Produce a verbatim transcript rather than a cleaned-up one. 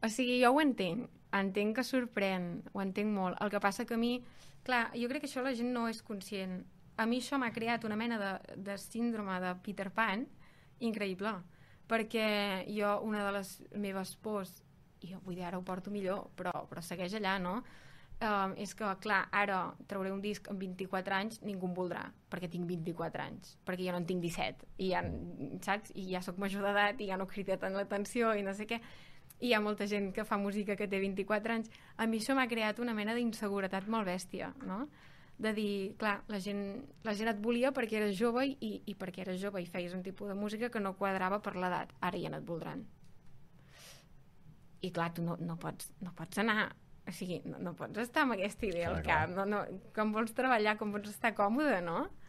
O sigui, jo ho entenc, entenc que sorprèn, ho entenc molt. El que passa que a mi, clar, jo crec que això la gent no és conscient. A mi això m'ha creat una mena de, de síndrome de Peter Pan increïble, perquè jo, una de les meves pors, i jo vull dir, ara ho porto millor, però, però segueix allà, no? Um, és que, clar, ara trauré un disc amb vint-i-quatre anys, ningú em voldrà, perquè tinc vint-i-quatre anys, perquè jo no en tinc disset, i ja, saps? I ja sóc major d'edat, i ja no crida tant l'atenció, i no sé què, i hi ha molta gent que fa música que té vint-i-quatre anys. A mi això m'ha creat una mena d'inseguretat molt bèstia, no? De dir, clar, la gent, la gent et volia perquè eres jove i, i perquè eres jove i feies un tipus de música que no quadrava per l'edat. Ara ja no et voldran. I clar, tu no, no, pots, no pots anar... O sigui, no, no pots estar amb aquesta idea clar, al cap. No, no, com vols treballar, com vols estar còmode, no?